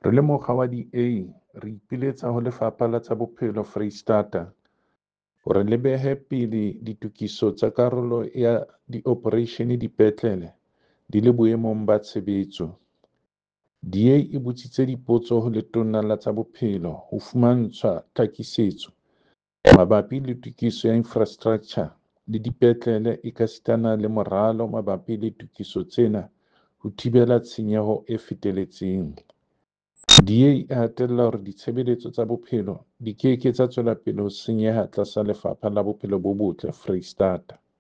Re le mokga wa DA, re ipiletsa ho Lefapha la tsa Bophelo Freistata hore le behe pele ditokiso tsa karolo ya diopereishene dipetlele di le boemong ba tshebetso. DA e botsitse dipotso ho Letona la tsa Bophelo ho fumantshwa tlhakisetso mabapi le tokiso ya infrastraktjha le dipetlele ekasitana le moralo mabapi le tokiso tsena ho thibela tshenyeho e feteletseng. DA e hatella hore ditshebeletso tsa bophelo di ke ke tsa tswela pele ho senyeha tlasa Lefapha la Bophelo bo Botle Freistata.